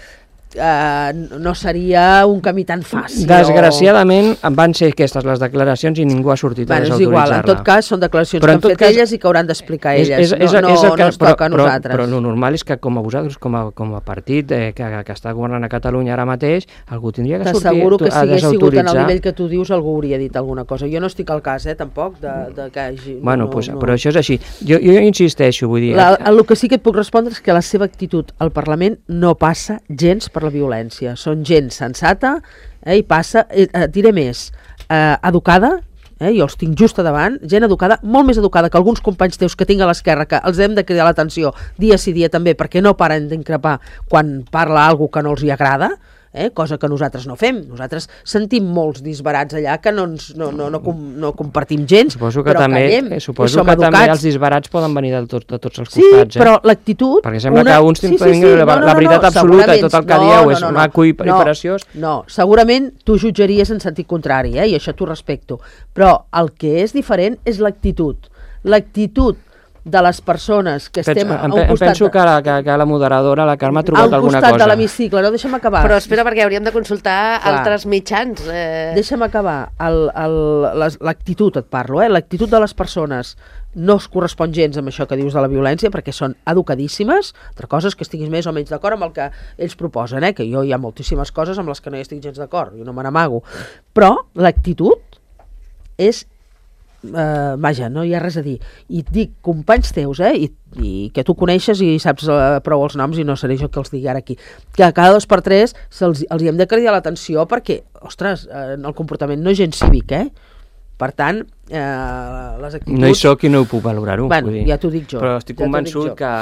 Uh, no seria un camí tan fàcil. Desgraciadament o... van ser aquestes les declaracions i ningú ha sortit bueno, a desautoritzar-la. És igual, en tot cas són declaracions però que han fet cas, elles i que hauran d'explicar elles, és, és, no, és, és no, que, no es però, toca a però, nosaltres. Però, però el normal és que com a vosaltres, com a, com a partit eh, que, que està governant a Catalunya ara mateix, algú tindria que sortir a desautoritzar. T'asseguro que si hagués sigut en el nivell que tu dius algú hauria dit alguna cosa. Jo no estic al cas, eh, tampoc, de, de que hagi... Bueno, no, pues, no. Però això és així. Jo, jo insisteixo, vull dir... La, el que sí que et puc respondre és que la seva actitud al Parlament no passa gens per la violència. Són gent sensata, eh, i passa, eh, diré més, eh, educada, eh, jo els tinc just a davant, gent educada, molt més educada que alguns companys teus que tinc a l'esquerra, que els hem de cridar l'atenció dia sí dia també, perquè no paren d'increpar quan parla algú que no els hi agrada, eh, cosa que nosaltres no fem. Nosaltres sentim molts disbarats allà que no, ens, no, no, no, com, no compartim gens, suposo que però també, callem, eh, suposo i som que educats. també els disbarats poden venir de, tot, de tots els sí, costats. Sí, però eh? l'actitud... Perquè sembla una... que uns sí, sí, sí, sí. La, no, no, la veritat no, absoluta i tot el que no, dieu no, és no, no, maco i, no, i preciós. No, segurament tu jutjaries en sentit contrari, eh, i això t'ho respecto, però el que és diferent és l'actitud. L'actitud de les persones que estem Penso, a un em, costat... penso que la, que, que la moderadora, la Carme, ha trobat alguna cosa. A un costat de l'hemicicle, no, deixa'm acabar. Però espera, perquè hauríem de consultar Clar. altres mitjans. Eh... Deixa'm acabar. L'actitud, et parlo, eh? L'actitud de les persones no es correspon gens amb això que dius de la violència, perquè són educadíssimes. Altra cosa és que estiguis més o menys d'acord amb el que ells proposen, eh? Que jo hi ha moltíssimes coses amb les que no hi estic gens d'acord, jo no me n'amago. Però l'actitud és... Uh, vaja, no hi ha res a dir. I et dic, companys teus, eh, i, i que tu coneixes i saps uh, prou els noms, i no seré jo que els digui ara aquí, que cada dos per tres se'ls, els hi hem de cridar l'atenció perquè, ostres, uh, el comportament no és gens cívic, eh? Per tant, eh, les actituds... No hi soc i no ho puc valorar-ho. Bueno, ja t'ho dic jo. Però estic ja convençut que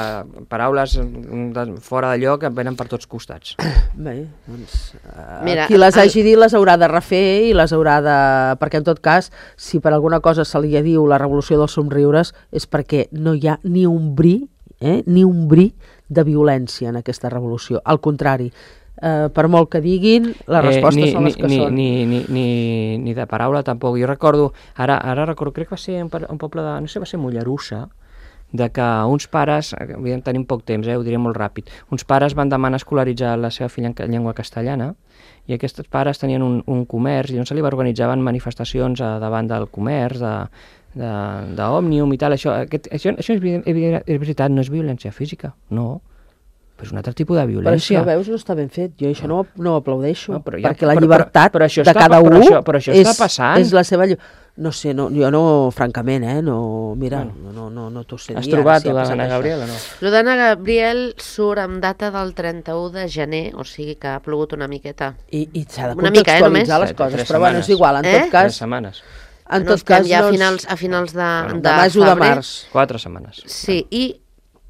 paraules de, fora de lloc em venen per tots costats. Bé, doncs... Uh, Mira, qui les el... hagi dit les haurà de refer i les haurà de... Perquè en tot cas, si per alguna cosa se li diu la revolució dels somriures, és perquè no hi ha ni un bri, eh, ni un bri de violència en aquesta revolució. Al contrari, Uh, per molt que diguin, les respostes eh, ni, són les que ni, són. Ni, ni, ni, ni de paraula tampoc. Jo recordo, ara, ara recordo, crec que va ser un, un poble de, no sé, va ser Mollerussa, de que uns pares, tenim poc temps, eh, ho diré molt ràpid, uns pares van demanar escolaritzar la seva filla en llengua castellana, i aquests pares tenien un, un comerç, i on se li organitzaven manifestacions a, davant del comerç, de, d'Òmnium i tal. Això, aquest, això, això és, és veritat, no és violència física, no. Però és un altre tipus de violència. Però això, veus, no està ben fet. Jo això no, no ho aplaudeixo. No, ja, perquè la però, llibertat però, però de està, cada però un això, però això és, està passant. és la seva llibertat. No sé, no, jo no, francament, eh, no, mira, bueno, no, no, no t'ho sé. Has trobat si l'Anna Gabriel o no? L'Anna Gabriel surt amb data del trenta-u de gener, o sigui que ha plogut una miqueta. I, i s'ha de una contextualitzar mica, eh, les coses, però bueno, és igual, en eh? tot cas... Tres setmanes. En no tot cas, ja no a finals, a finals de, bueno, de, de maig o de març. Quatre setmanes. Sí, i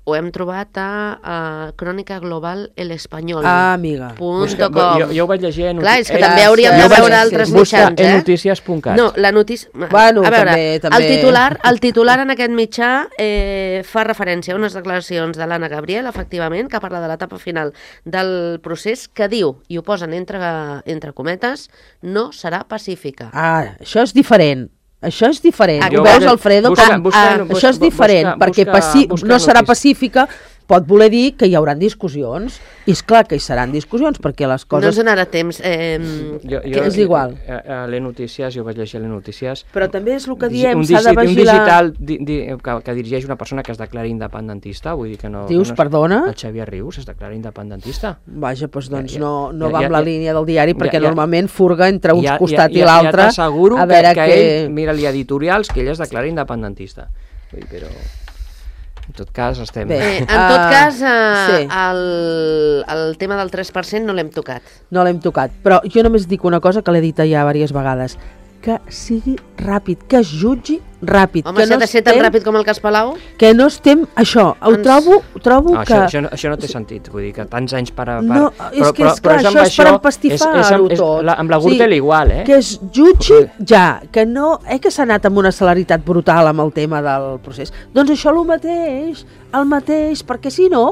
ho hem trobat a, a Crònica Global El Espanyol. Ah, amiga. Busca, jo, jo ho vaig llegir en... Clar, és que eh, també hauríem de veure vaig, altres busca mitjans, eh? en notícies punt cat. No, la notícia... Bueno, a veure, també, també... El, titular, el titular en aquest mitjà eh, fa referència a unes declaracions de l'Anna Gabriel, efectivament, que parla de l'etapa final del procés, que diu, i ho posen entre, entre cometes, no serà pacífica. Ah, això és diferent. Això és diferent. Ah, Ho veus, Alfredo? Busca, com, busca, ah, busca, això és diferent, busca, perquè busca, paci... busca no serà notícies. pacífica, pot voler dir que hi haurà discussions, i és clar que hi seran discussions, perquè les coses... No ens donarà temps. Eh, jo, jo, que és igual. A, a les notícies, jo vaig llegir les notícies... Però també és el que diem, s'ha de vigilar... Un digital di, di, que, que dirigeix una persona que es declara independentista, vull dir que no... Dius, que no és, perdona? El Xavier Rius es declara independentista. Vaja, doncs, doncs ja, no, no ja, va ja, amb la ja, línia del diari, perquè ja, ja, normalment furga entre un ja, costat ja, ja, i l'altre. Ja t'asseguro a que, veure que que... ell, mira-li editorials, que ell es declara independentista. Vull dir, però... En tot cas, estem... Bé, en tot uh, cas, uh, sí. el, el tema del tres per cent no l'hem tocat. No l'hem tocat, però jo només dic una cosa que l'he dit ja diverses vegades, que sigui ràpid, que es jutgi ràpid. Home, que si no ha de ser estem, tan ràpid com el cas Palau... Que no estem... Això, ho Ens... trobo, trobo no, que... Això, això, no, això no té sentit, vull dir que tants anys per... per no, és però, que és però, clar, però això és per empastifar-ho tot. La, amb la Gürtel sí, igual, eh? Que es jutgi ja, que no... Eh, que s'ha anat amb una celeritat brutal amb el tema del procés. Doncs això el mateix, el mateix, perquè si no...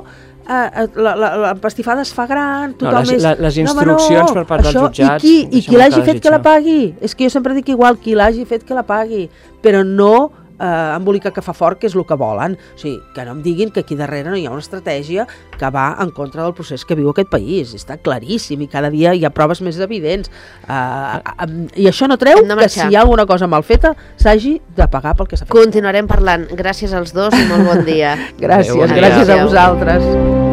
Uh, la, la, la pastifada es fa gran, tothom no, les, és... la, les instruccions no, no, per part això, dels jutjats... I qui, i qui l'hagi fet que la pagui. És que jo sempre dic igual, qui l'hagi fet que la pagui, però no eh, embolica que fa fort, que és el que volen. O sigui, que no em diguin que aquí darrere no hi ha una estratègia que va en contra del procés que viu aquest país. Està claríssim i cada dia hi ha proves més evidents. Uh, uh, I això no treu que si hi ha alguna cosa mal feta s'hagi de pagar pel que s'ha fet. Continuarem parlant. Gràcies als dos i molt bon dia. Gràcies, Adéu, bon dia. gràcies a vosaltres.